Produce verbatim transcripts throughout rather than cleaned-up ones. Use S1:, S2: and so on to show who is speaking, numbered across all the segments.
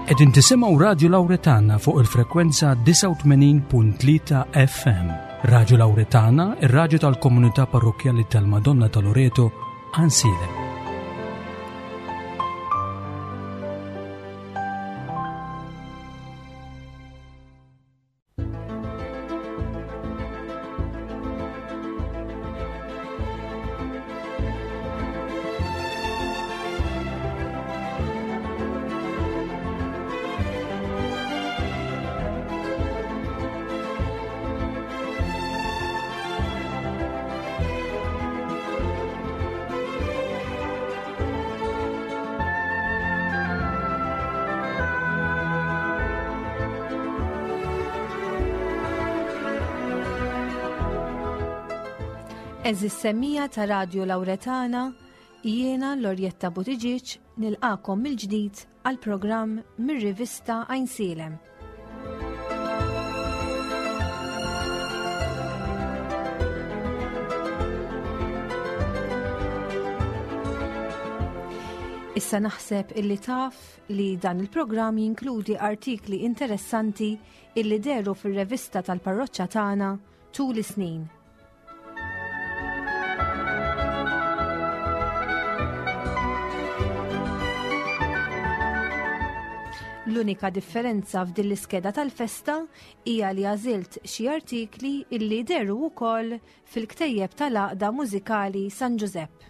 S1: Qegħdin tisimgħu Radju Lawretana fuq il-frekwenza disgħa u tmenin punt tlieta F M. Radju Lawretana, ir-radju tal-komunità parrokkjali tal-Madonna ta' Loreto, Għajnsielem.
S2: Eżis semmija ta' Radju Lawretana, jiena Lorjetta Buttigieg nilqakom mill-ġdid għal programm mir-rivista Għajnsielem. Issa naħseb illi taf li dan il-programm jinkludi artikli interessanti illi deru fir-rivista tal-parroċċa tagħna tul is-snin. L-unika differenza f'din l-iskeda tal-festa hija li għażilt xi artikli illi deru wkoll fil-ktejjeb tal-Għaqda Mużikali San Ġużepp.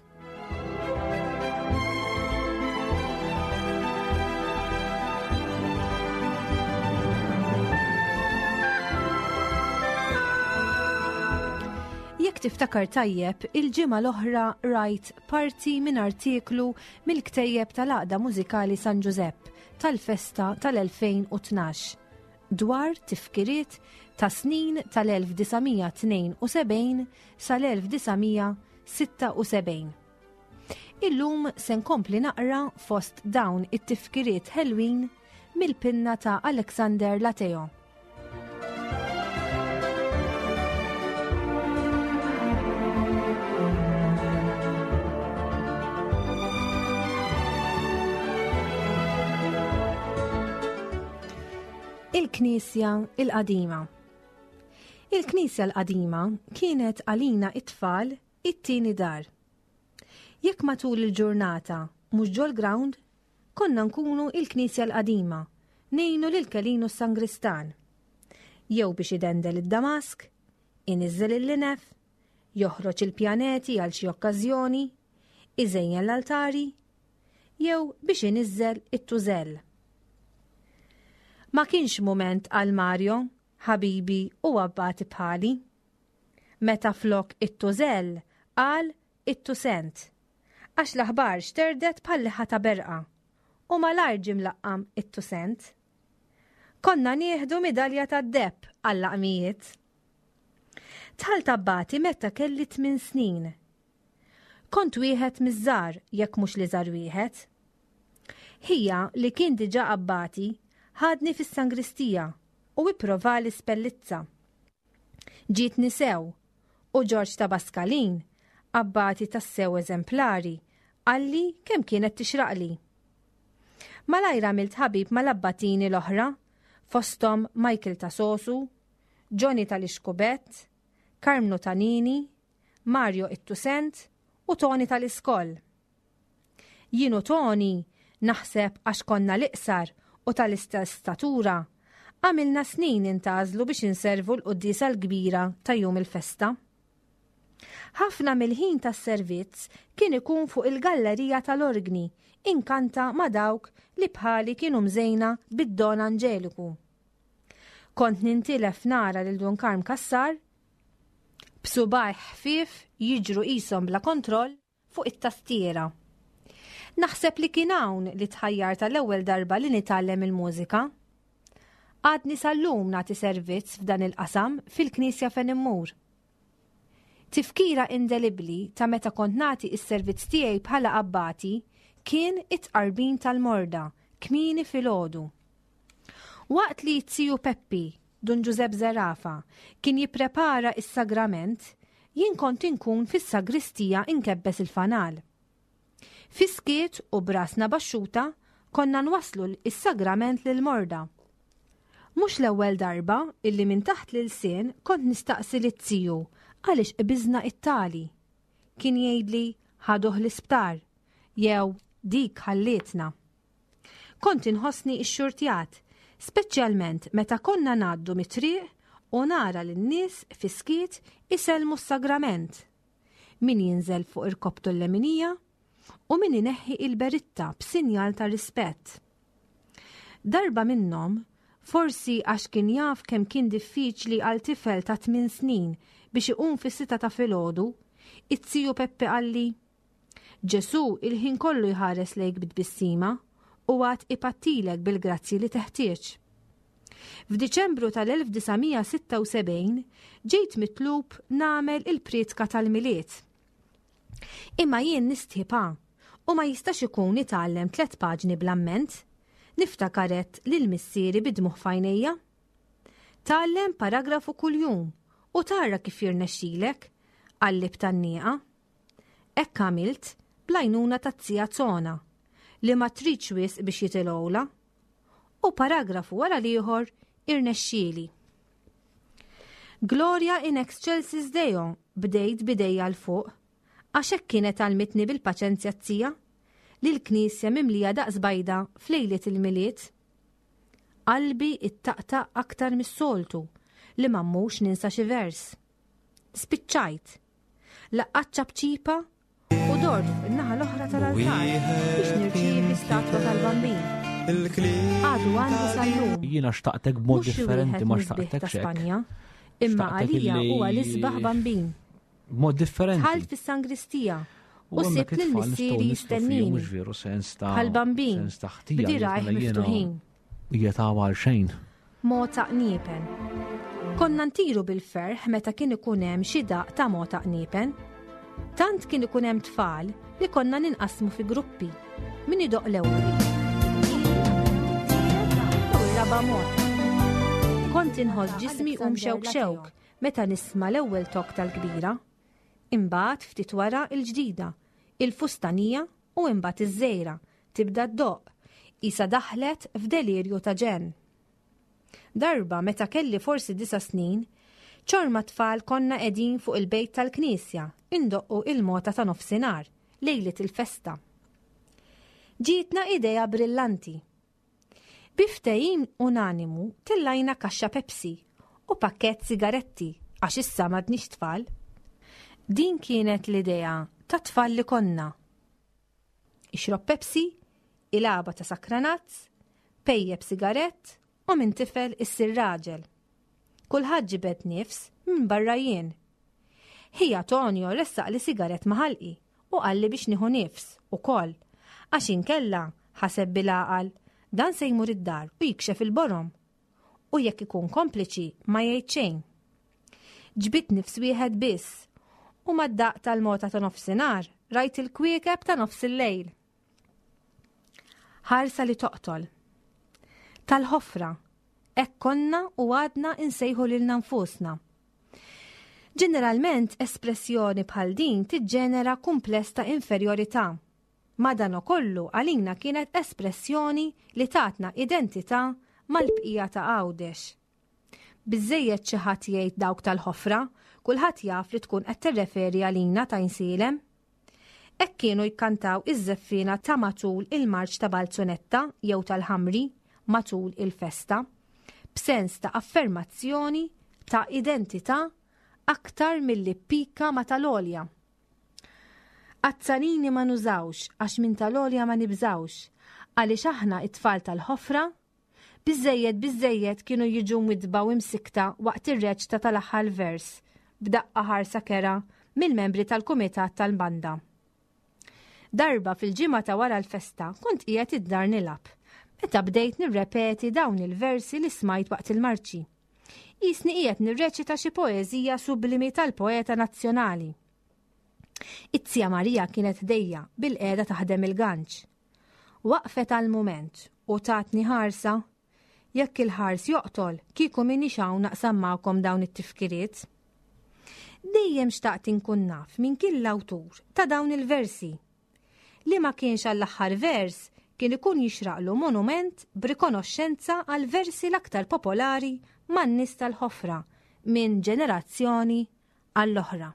S2: Jekk tiftakar tajjeb, il-ġimgħa l-oħra rajt parti minn artiklu mill-ktejjeb tal-Għaqda Mużikali San Ġużepp tal-festa tal-elfejn u tnax dwar tifkiriet ta' snin tal-elf disa' mija tnejn u sebgħin sal-elf disa' mija sitta u sebgħin. Illum se nkompli naqra fost dawn it-tifkiriet ħelwin mill-pinna ta' Alexander Lateo. Il-Knisja il-Qadima. Il-Knisja l-Qadima kienet għalina it-tfal it-tieni dar. Jekk matul il-ġurnata mhux ġol-ground, konna nkunu il-Knisja l-Qadima, ngħinu lil Kelinu s-Sangristan. Jew biex idendel id-Damask, iniżżel il-linef, joħroġ il-pjaneti għal xi okkażjoni, iżejjen l-altari, jew biex iniżżel it-tużell. Ma kienx mument għal Mario, ħabibi u abbati bħali. Meta flok it-tużell qal it-tusent, għax l-aħbar xterdet bħal liħa ta' berqa u malajr ġie mlaqqam it-tusent. Konna nieħdu midalja tad-deheb għall-laqmijiet. Dħalt abbati meta kelli tmien snin. Kont wieħed miż-żgħar jekk mhux li żgħar wieħed. Ħija li kien diġà abbati ħadni fis-sangristija u ipprovali spellizza. Ġietni sew u Ġorġ ta' Baskalin, abbati tas-sew eżemplari, qalli kemm kienet tixraqli. Malajr għamilt ħabib mal-abbatini l-oħra, fosthom Michael ta' Sosu, Johnny tal-Ixkubett, Karmnu Tanini, Mario Ittusent u Tony tal-Iskoll. Jien u Tony, naħseb għax konna l-iqsar u tal-istess statura, għamilna snin intażlu biex inservu l-quddiesa l-kbira ta' jum il-festa. Ħafna mill-ħin tas-servizz kien ikun fuq il-gallerija tal-orgni, inkanta ma' dawk li bħali kienu mżejna bid-Don Angeliku. Kont nintilef nara lil Dun Karm Cassar b'subgħajh ħfief jiġru qishom bla kontroll fuq it-tastiera. Naħseb li kien hawn li tħajjar tal-ewwel darba li nitgħallem il-mużika. Għadni sal-lum nagħti servizz f'dan il-qasam fil-knisja fejn immur. Tifkira indelibbli ta' meta kont nagħti s-servizz tiegħi bħala abbati kien it-tqarbin tal-morda kmieni filgħodu. Waqt li t-tiju Peppi, Dun Ġużepp Zerafa, kien jipprepara s-sagrament, jien kont inkun fis-sagristija inkebbes il-fanal. Fiskiet u brasna baxxuta Konna nwasslu is-sagrament lill-morda. Mhux l-ewwel darba illi minn taħt l-ilsien kont nistaqsi lit-tiju għaliex qbiżna it-tali. Kien jgħidli ħaduh l-isptar jew dik ħallietna. Kont inħossni ixxurtjat, speċjalment meta konna ngħaddu mit-triq u nara lin-nies fis-skiet isellmu s-sagrament. Min jinżel fuq irkoptu l-leminija u min ineħħi il-beritta b'sinjal ta' rispett. Darba minnhom, forsi għax kien jaf kemm kien diffiċli għal tifel ta' tmien snin biex iqum fis-sitta ta' filgħodu, it-tiju Peppe qalli: Ġesu il-ħin kollu jħares lejk bit-tbissima u għad ipattilek bil-grazzji li teħtieġ. F'Diċembru tal-elf disa' mija sitta u sebgħin ġejt mitlub nagħmel il-prietka tal-Milied. Imma jien nistħipa u ma jistax ikun itgħallem tliet paġni bl-amment, niftakaret lil missieri bidmuħ f'għajnejja. Tgħallem paragrafu kuljum u tara kif jirnexxilek, qalli b'tgħannieqa. Hekk għamilt bl-għajnuna taz-zija Zona, li ma tridx wisq biex jitilgħula, u paragrafu wara l-ieħor irnexxieli. Gloria in excelsis Deo bdejt bidejja l fuq, għax hekk kienet għalmitni bil-paċenzja t-tija, li l-knisja mimlija daqs bajda f'lejliet il-Milied. Qalbi ittaqtaq aktar mis-soltu li ma mmux ninsa xi vers. Spiċċajt. Laqqat ċapċipa u dort fuq in-naħa l-oħra tal-altar biex nirċievi statwa tal-Bambin. Għadu għandi sal-lum.
S3: Jiena xtaqtek b'mod
S2: Mhux xi
S3: differenti,
S2: wieħed
S3: ma
S2: mill-sbieħ
S3: xtaqtek
S2: ta'
S3: xek.
S2: Spanja, imma
S3: Xtaqtek
S2: għalija
S3: illi
S2: huwa l-isbaħ Bambin.
S3: B'mod differenti.
S2: Dħalt fis-sangristija
S3: U
S2: u
S3: hemmhekk
S2: sibt lil
S3: it-tfal nistgħu
S2: missieri
S3: nistgħu fihom,
S2: jistennini.
S3: mhux veru sens ta'
S2: Bħal Bambin,
S3: sens ta' ħtija li
S2: b'dirajh
S3: mela jiena
S2: miftuħin.
S3: Hija ta' għal xejn.
S2: Mota qniepen. Konna ntiru bil-ferħ meta kien ikun hemm xi daq ta' mota qniepen. Tant kien ikun hemm tfal li konna ninqasmu fi gruppi. Min idoq l-ewwel. U r-raba' mota. Kont inħoss ġismi um xewk xewk meta nisma' l-ewwel tok tal-kbira. Imbagħad ftit wara l-ġdida, il-fustanija u imbagħad iż-żejra tibda ddoq, isa daħlet f'delirju ta' ġenn. Darba meta kelli forsi disa' snin, ċorma tfal konna qegħdin fuq il-bejt tal-knisja, indoqqu il-mota ta' nofsinhar, lejlet il-festa. Ġietna idea brillanti. Bi ftehim unanimu tellajna kaxxa Pepsi u pakkett sigaretti għax issa m'għadniex tfal. Din kienet l-idea ta' tfal li konna. Ixrob Pepsi, ilaba ta' sakranazz, pejjeb sigarett u minn tifel issir raġel. Kulħadd ġibed nifs minn barra jien. Ħija Tonio ressaq li sigarett ma' ħalqi u qalli biex nieħu nifs ukoll, għax inkella ħaseb bil-għaqal dan se jmur id-dar u jikxef il-borom. U jekk ikun kompliċi ma jgħid xejn. Ġbit nifs wieħed biss u mad-daq tal-mota ta' nofsinhar rajt il-kwiekeb ta' nofs il-lejl. Ħarsa li toqtol. Tal-ħofra, hekk konna u għadna insejħu lilna nfusna. Ġeneralment, espressjoni bħal din tiġġenera kumpless ta' inferjorità. Madanakollu għalina kienet espressjoni li tatna identità mal-bqija ta' Għawdex. Biżżejjed xi ħadd jgħid dawk tal-ħofra, kulħadd jaf li tkun qed tirreferi għalina ta' Għajnsielem. Hekk kienu jkantaw iż-żeffina ta' matul il-marċ ta' Balzunetta jew tal-Ħamri matul il-festa, b'sens ta' affermazzjoni ta' identità aktar milli pika ma' tal-għolja. Azzanini ma nużawx għax minn tal-għolja ma nibżawx, għaliex aħna it-tfal tal-ħofra, biżżejjed biżżejjed kienu jiġu mwidba u imsikta waqt ir-reċta tal-aħħar vers, b'daqqa ħarsa kera mill-membri tal-kumitat tal-banda. Darba fil-ġimgħa ta' wara l-festa kont qiegħed id-dar nilgħab, meta bdejt nirrepeti dawn il-versi li smajt waqt il-marċi. Jisni qiegħed nirreċita xi poeżija sublimi tal-poeta nazzjonali. It-tija Marija kienet dejja bil-qiegħda taħdem il-ganċ. Waqfet għal mument u tatni ħarsa. Jekk il-ħars joqtol, kieku minix hawn naqsam magħkom dawn it-tifkiriet. Dejjem xtaqt inkun naf min kien l-awtur ta' dawn il-versi. Li ma kienx għall-aħħar vers kien ikun jixraqlu monument b'rikonoxxenza għal versi l-aktar popolari man-nies tal-ħofra minn ġenerazzjoni għall-oħra.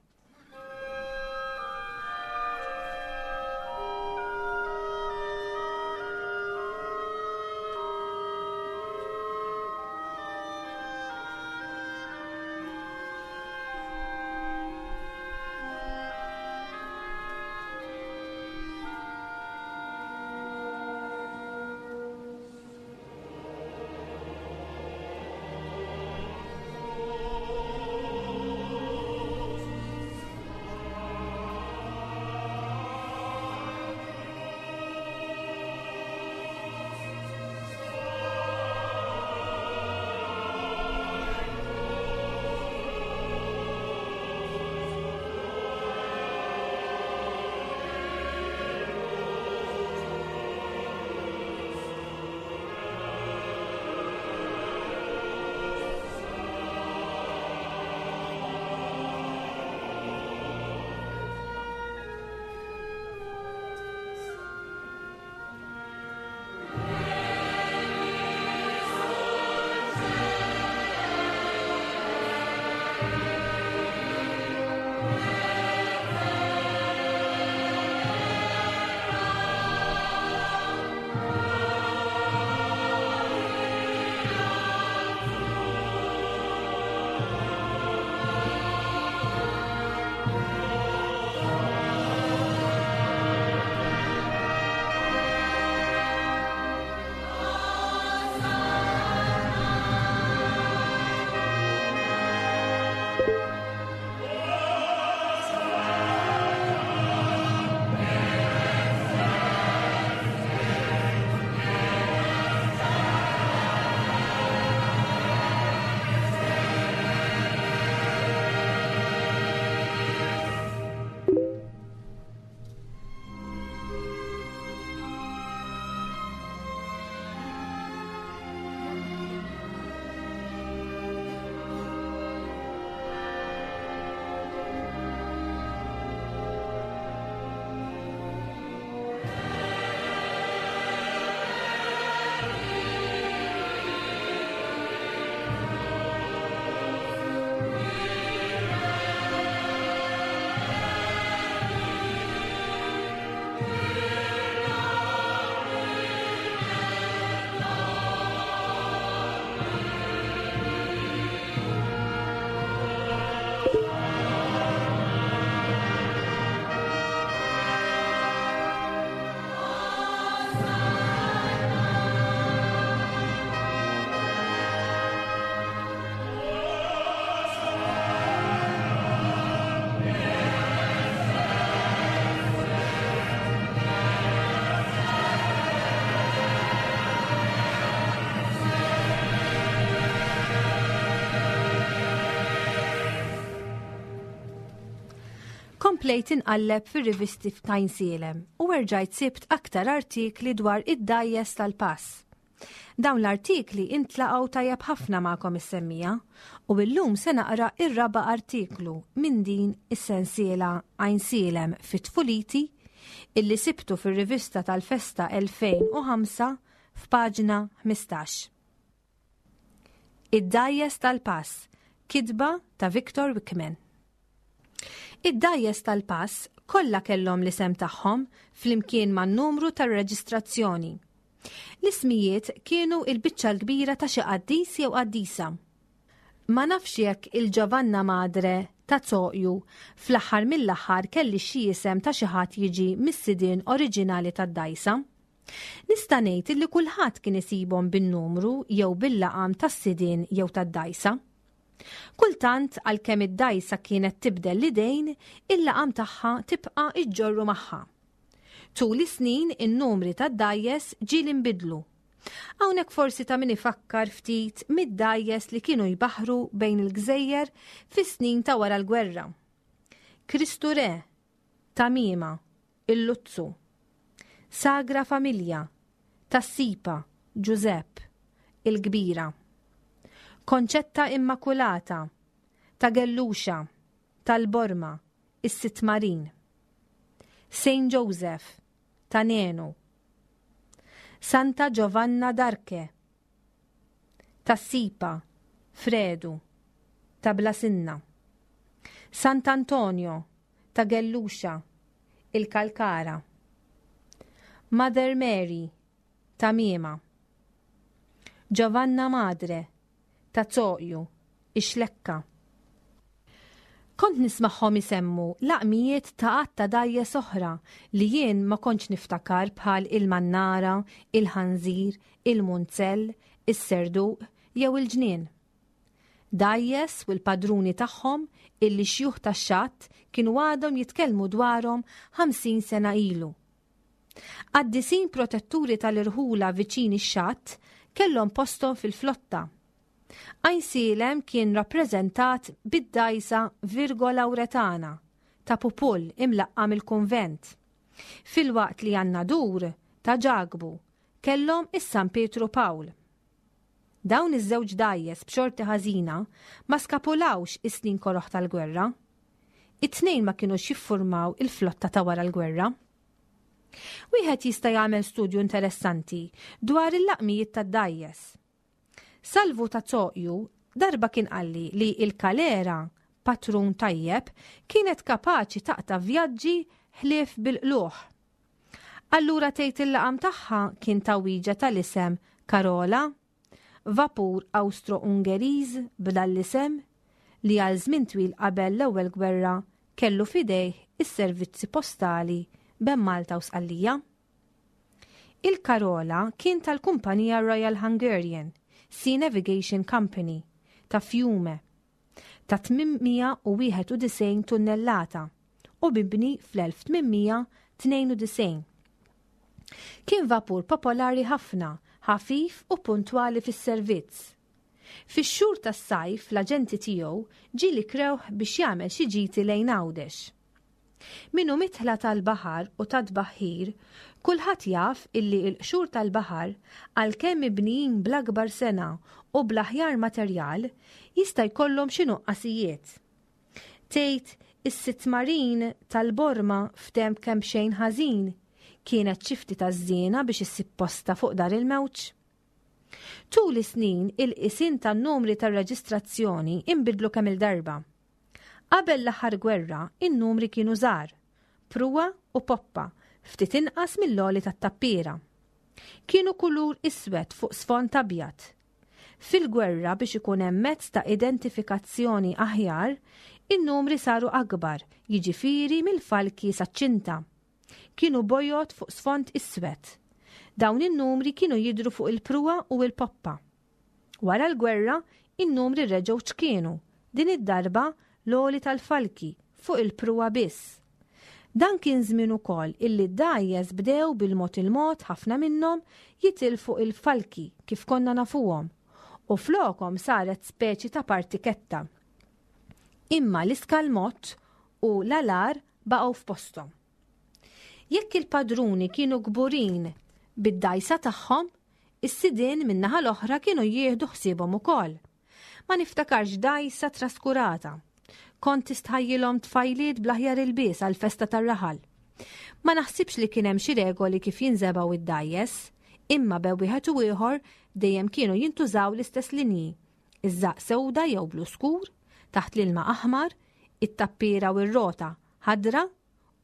S2: Komplejt inqalleb fir-rivisti f'Għajnsielem u erġajt sibt aktar artikli dwar id-dgħajjes tal-pass. Dawn l-artikli intlaqgħu tajjeb ħafna magħkom is-semmija u illum se naqra ir-raba' artiklu minn din is-sensiela Għajnsielem fit-tfuliti illi sibtu fir-rivista tal-Festa elfejn u ħamsa f'paġna ħmistax. Id-dgħajjes tal-pass, kitba ta' Victor Wickman. Id-dgħajjes tal-pass kollha kellhom l-isem tagħhom flimkien man-numru tar-reġistrazzjoni. L-ismijiet kienu il-biċċa l-kbira ta' xi qaddis jew qaddisa. Ma nafx jekk il-Giovanna Madre ta' Zoqju fl-aħħar mill-aħħar kelli xi isem ta' xi ħadd jiġi mis-sidien oriġinali tad-dgħajsa. Nista' ngħid illi kulħadd kien isibhom bin-numru jew bil-laqam tas-sidien jew tad-dgħajsa. Kultant għalkemm id-dgħajsa kienet tibdel l-idejn, il-laqam tagħha tibqa' iġġorru magħha. Tul is-snin in-numri tad-dgħajjes ġieli nbidlu. Hawnhekk forsi ta' min ifakkar ftit mid-dgħajjes li kienu jbaħħru bejn il-gżejjer fis-snin ta' wara l-gwerra. Kristu Re, Tamima, Il-Luzzu, Sagra Familja, Tassipa, Giuseppe, Il-Kbira, Konċetta Immakulata, ta' Gelluxa, tal-Borma, is-Sitt Marin, Saint Joseph, ta' Nenu. Santa Giovanna d'Arche, Tas-Sipa, Fredu, ta' Blasinna. Sant'Antonio, ta' Gelluxa, il-Kalkara. Mother Mary, ta' Miema. Giovanna Madre, ta' Zoqju, Ix-Xlekka. Kont nismagħhom isemmu laqmijiet ta' għadd ta' dgħajjes oħra li jien ma kontx niftakar bħal il-Mannara, il-Ħanżir, il-Munzell, is-Serduq jew il-Ġnien. Dgħajjes u l-padruni tagħhom illi xjuħ tax-xatt kienu għadhom jitkellmu dwarhom ħamsin sena ilu. Qaddisin protetturi tal-irħula viċin ix-xatt kellhom posthom fil-flotta. Għajnsielem kien rappreżentat bid-dgħajsa Virgo Lauretana ta' Pupull imlaqqam il-kunvent. Filwaqt li għan-Nadur ta' Ġakbu kellhom is-San Pietru Pawl. Dawn iż-żewġ dgħajjes b'xorti ħażina ma skapulawx is-snin koroħ tal-gwerra. It-tnejn ma kinux jiffurmaw il-flotta ta' wara l-gwerra. Wieħed jista' jagħmel studju interessanti dwar il-laqmijiet tad-dgħajjes. Salvu ta' Zoqju darba kien qalli li il-Kalera, patrun tajjeb, kienet kapaċi taqta' vjaġġi ħlief bil-qluħ. Allura tgħid il-laqam tagħha kien tagħwiġa tal-isem Karola, vapur Austro-Ungeriż b'dan l-isem li għal żmien twil qabel l-ewwel gwerra kellu f'idejh is-servizzi postali bejn Malta u Sqallija. Il-Karola kien tal-kumpanija Royal Hungarian Sea Navigation Company ta' Fiume ta' tmien mija u wieħed u disgħin tunnellata u mibni fl-elf tmien mija tnejn u disgħin. Kien vapur popolari ħafna, ħafif u puntwali fis-servizz. Fix-xhur tas-sajf l-aġenti tiegħu ġieli krewh biex jagħmel xi ġiti lejn Għawdex. Min hu midħla tal-baħar u tat-tbaħħir, kulħadd jaf illi l-qxur tal-baħar għalkemm mibnijin bl-akbar sengħa u bl-aħjar materjal jista' jkollhom xi nuqqasijiet. Tgħid is-sitmarin tal-Borma f'temp kemm xejn ħażin kienet xi ftit taż-żiena biex issib posta fuq dar il-mewġ. Tul is-snin il-qisien tan-numri tar-reġistrazzjoni inbidlu kemm il-darba. Qabel l-aħħar gwerra, in-numri kienu żgħar, pruwa u poppa, ftit inqas mill-għoli tat-tappiera. Kienu kulur iswed fuq sfond abjad. Fil-gwerra biex ikun hemm mezz ta' identifikazzjoni aħjar, in-numri saru akbar, jiġifieri mill-falki saċ-ċinta. Kienu bojod fuq sfond iswed. Dawn in-numri kienu jidru fuq il-pruwa u l-poppa. Wara l-gwerra, in-numri reġgħu ċkienu, din id-darba l-għoli tal-falki fuq il-pruwa biss. Dan kien żmien ukoll illi d-dgħajjes bdew bil-mod il-mod ħafna minnhom jitilfu il-falki kif konna nafuhom u flokhom saret speċi ta' partiketta. Imma l-iskalmott u l-alar baqgħu f'posthom. Jekk il-padruni kienu kburin bid-dgħajsa tagħhom, is-sidien min-naħa l-oħra kienu jieħdu ħsiebhom ukoll. Ma niftakarx dgħajsa traskurata. Kont tistħajjilhom tfajliet bl-aħjar ilbies għal-festa tar-raħal. Ma naħsibx li kien hemm xi regoli kif jinżebgħu id-dgħajjes, imma bejn wieħed u ieħor dejjem kienu jintużaw l-istess linji. Iż-żaqq sewda jew blu skur, taħt l-ilma aħmar, it-tappiera u r-rota ħadra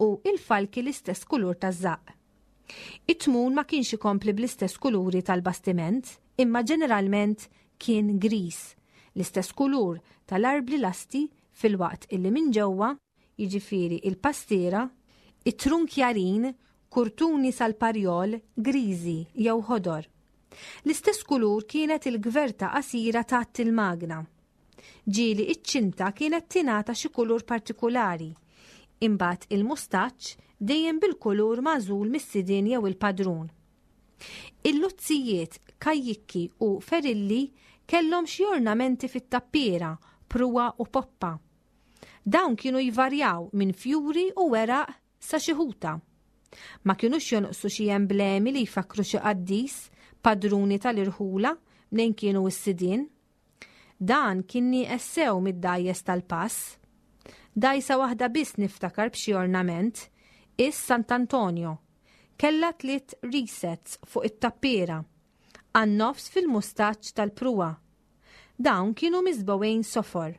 S2: u il-falki l-istess kulur taż-żaqq. It-tmun ma kienx ikompli bl-istess kuluri tal-bastiment, imma ġeneralment kien gris, l-istess kulur tal-arbli lasti filwaqt illi minn ġewwa, jiġifieri il-pastiera, it-trunkjarin, kurtuni sal-parjol, griżi jew ħodor. L-istess kulur kienet il-gverta qasira taħt il-magna. Ġieli iċ-ċinta kienet tingħata xi kulur partikulari. Imbagħad il-mustaċċ dejjem bil-kulur magħżul mis-sidien jew il-padrun. Il-luzzijiet, kajjikki u ferilli kellhom xi ornamenti fit-tappiera, pruwa u poppa. Dawn kienu jvarjaw minn fjuri u weraq sa xi ħuta. Ma kienux jonqsu xi emblemi li jfakru xi qaddis, padruni tal-irħula mnejn kienu s-sidien. Dan kien nieqes sew mid-dgħajjes tal-pass. Dgħajsa waħda biss niftakar b'xi ornament, is Sant'Antonio. Kellha tliet resets fuq it-tappiera, għan-nofs fil-mustaċċ tal-pruwa. Dawn kienu miżbogħin sofor.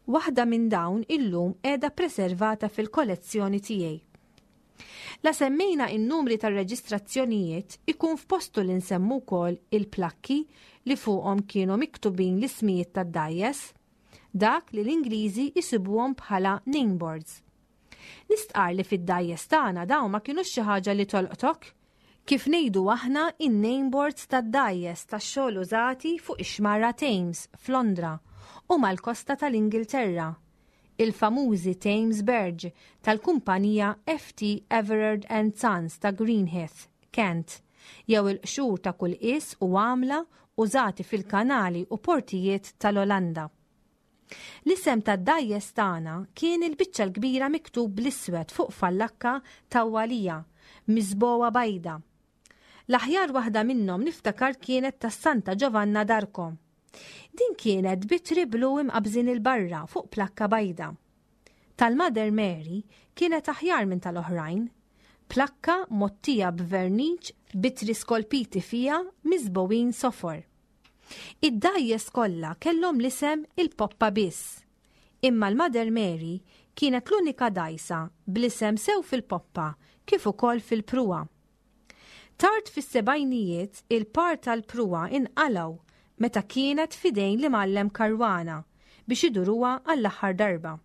S2: Waħda minn dawn illum qiegħda preservata fil-kollezzjoni tiegħi. La semmejna in-numri tar-reġistrazzjonijiet ikun f'postu li nsemmu wkoll il-plakki li fuqhom kienu miktubin l-ismijiet tad-dgħajjes, dak li l-Ingliżi jsibuhom bħala nameboards. Nistqar li fid-dgħajjes tagħna dawn ma kinux xi ħaġa li tolqtok. Kif ngħidu aħna in-nameboards tad-dgħajjes tax-xogħol użati fuq ix-xmara Thames f'Londra u mal-kosta tal-Ingilterra, il-famużi Thames Barge tal-kumpanija F T Everard and Sons ta' Greenhithe, Kent, jew il-qxur ta' kull qies u għamla użati fil-kanali u portijiet tal-Olanda. L-isem tad-dgħajjes tagħna kien il-biċċa l-kbira miktub bl-iswed fuq fallakka tawwalija miżbogħa bajda. L-aħjar waħda minnhom niftakar kienet tas Santa Giovanna d'Arco. Din kienet b'ittri blu imqabżin 'il barra fuq plakka bajda. Tal-Mother Mary kienet aħjar minn tal-oħrajn. Plakka mgħottija b'verniċ b'ittri skolpiti fija miżbogħin sofor. Id-dgħajjes kollha kellhom l-isem il-poppa biss. Imma l-Mother Mary kienet l-unika dgħajsa bl-isem sew fil-poppa kif ukoll fil-pruwa. Tard fis-sebgħinijiet il-par tal-pruwa inqalgħu meta kienet f'idejn l-imgħallem Caruana biex iduruha għall-aħħar darba.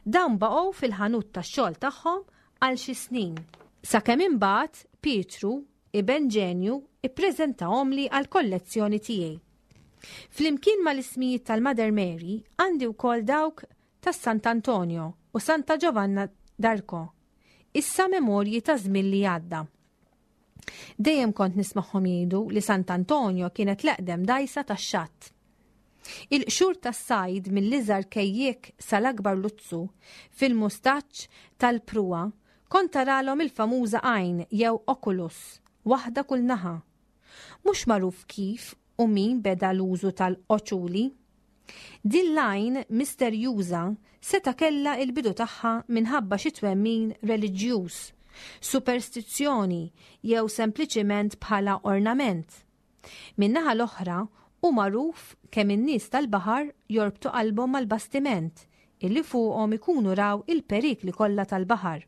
S2: Dawn baqgħu fil-ħanut tax-xogħol tagħhom għal xi snin. Sakemm imbagħad Pietru, iben Ġenju, ippreżentahomli għall-kollezzjoni tiegħi. Flimkien mal-ismijiet tal-Mother Mary għandi wkoll dawk tas Sant'Antonio u Santa Giovanna d'Arco. Issa memorji ta' żmien li għadda. Dejjem kont nismagħhom jgħidu li Sant'Antonio kienet l-eqdem dgħajsa tax-xatt. Il-qxur tas-sajd mill-iżgħar kejjek sal-akbar luzzu fil-mustaċ tal-pruwa kont taralhom il-famuża għajn jew oculus, waħda kull naħa. Mhux magħruf kif u min beda l-użu tal-oċuli. Din l-għajn misterjuża seta' kellha il-bidu tagħha minħabba xi twemmin reliġjuż, superstizzjoni jew sempliċiment bħala ornament. Min-naħa l-oħra hu magħruf kemm in-nies tal-baħar jorbtu qalbhom mal-bastiment illi fuqhom ikunu raw il-perikli kollha tal-baħar.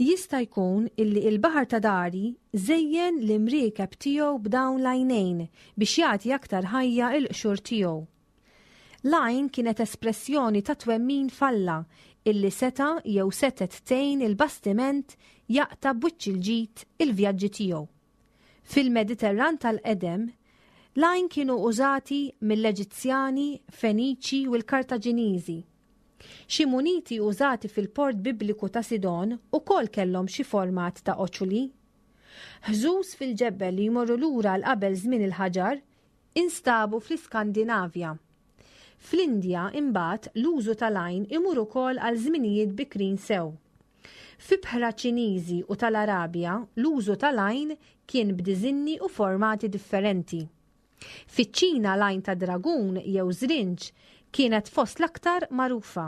S2: Jista' jkun illi il-baħar ta' dari żejjen l-imriekeb tiegħu b'dawn l-għajnejn biex jagħti aktar ħajja il-qxur tiegħu. L-għajn kienet espressjoni ta' twemmin f'Alla illi seta' jew setet tgħin il-bastiment jaqta' b'wiċċ il-ġid il-vjaġġi tiegħu. Fil-Mediterran tal-qedem, l-għajn kienu użati mill-Eġizzjani, Feniċi u l-Kartaġiniżi. Xi muniti użati fil-port bibliku ta' Sidon ukoll kellhom xi format ta' oċuli. Ħżuż fil-ġebel li jmorru lura għal qabel żmien il-ħaġar instabu fl-Iskandinavja. Fl-Indja imbagħad l-użu tal-għajn imur ukoll għal żminijiet bikrin sew. F'ibħra Ċiniżi u tal-Arabja l-użu tal-għajn kien b'diżinni u formati differenti. Fiċ-Ċina l-għajn ta' dragun jew żrinġ kienet fost l-aktar magħrufa.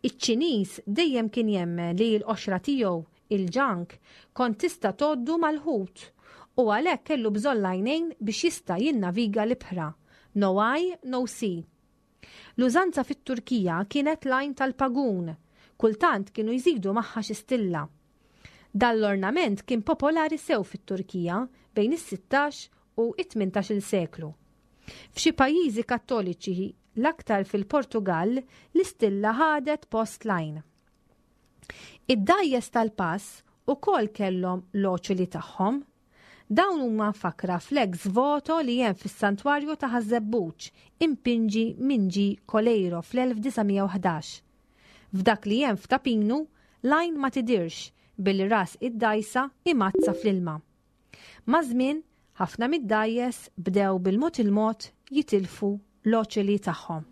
S2: Iċ-Ċiniż dejjem kien jemmen li l-qoxra tiegħu, il-ġank, kont tista' tgħoddu mal-ħut u għalhekk kellu bżonn l-għajnejn biex jista' jinnaviga l-ibħra. No eye, no see. L-użanza fit-Turkija kienet l-għajn tal-pagun, kultant kienu jżidu magħha xi stilla. Dan l-ornament kien popolari sew fit-Turkija bejn is-sittax u it-tmintax-il seklu. F'xi pajjiżi Kattoliċi, l-aktar fil-Portugal, l-istilla ħadet post l-għajn. Id-dgħajjes tal-pass ukoll kellhom l-oċuli tagħhom. Dawn huma mfakkra fl-ex voto li hemm fis-santwarju ta' Ħaż-Żebbuġ impinġi minn G. Coleiro fl-elf disa' mija u ħdax. F'dak li hemm f'Ta' Pinu, l-għajn ma tidirx billi ras id-dgħajsa imgħaddsa fl-ilma. Maż-żmien, ħafna mid-dgħajjes bdew bil-mod il-mod jitilfu l-oċeli tagħhom.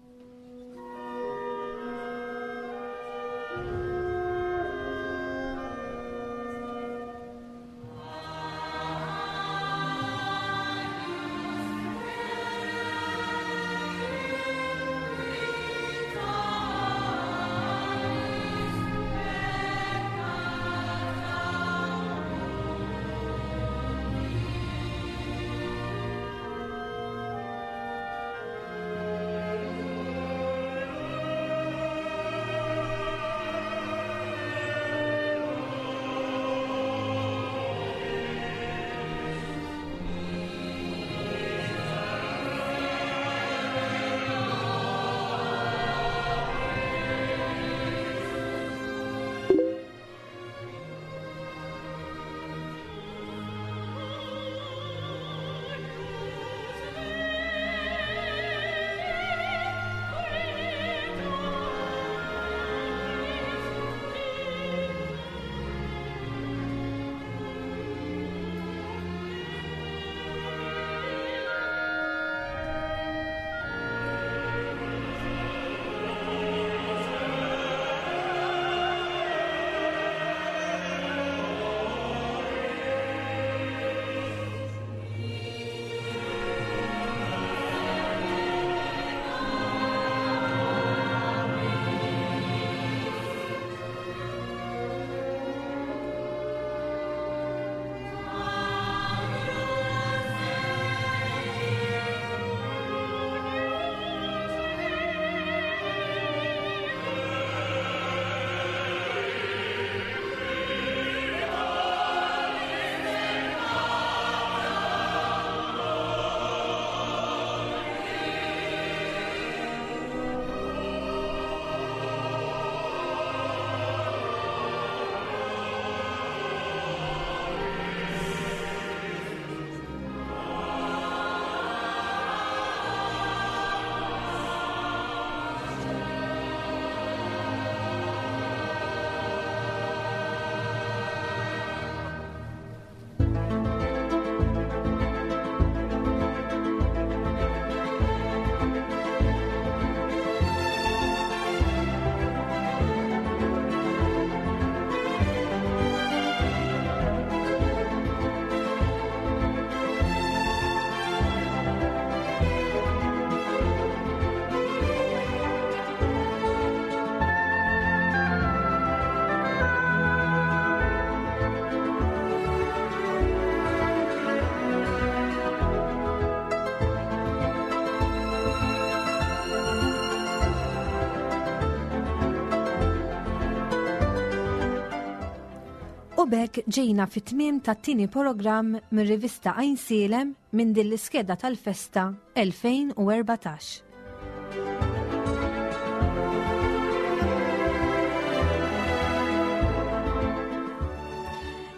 S2: Hawnhekk ġejna fit-tmiem tat-tieni programm mir-rivista Għajnsielem minn din l-iskeda tal-festa elfejn u erbatax.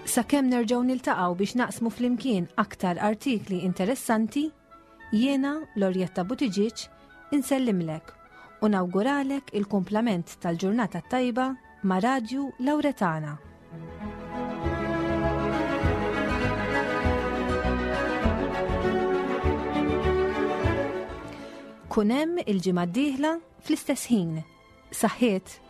S2: Sakemm nerġgħu niltaqgħu biex naqsmu flimkien aktar artikli interessanti, jiena Lorjetta Buttigieg insellimlek u nawguralek il-kumplament tal-ġurnata tajba ma' Radju Lawretana. Kun hemm il-ġimgħa d-dieħla fl-istess ħin. Saħħiet!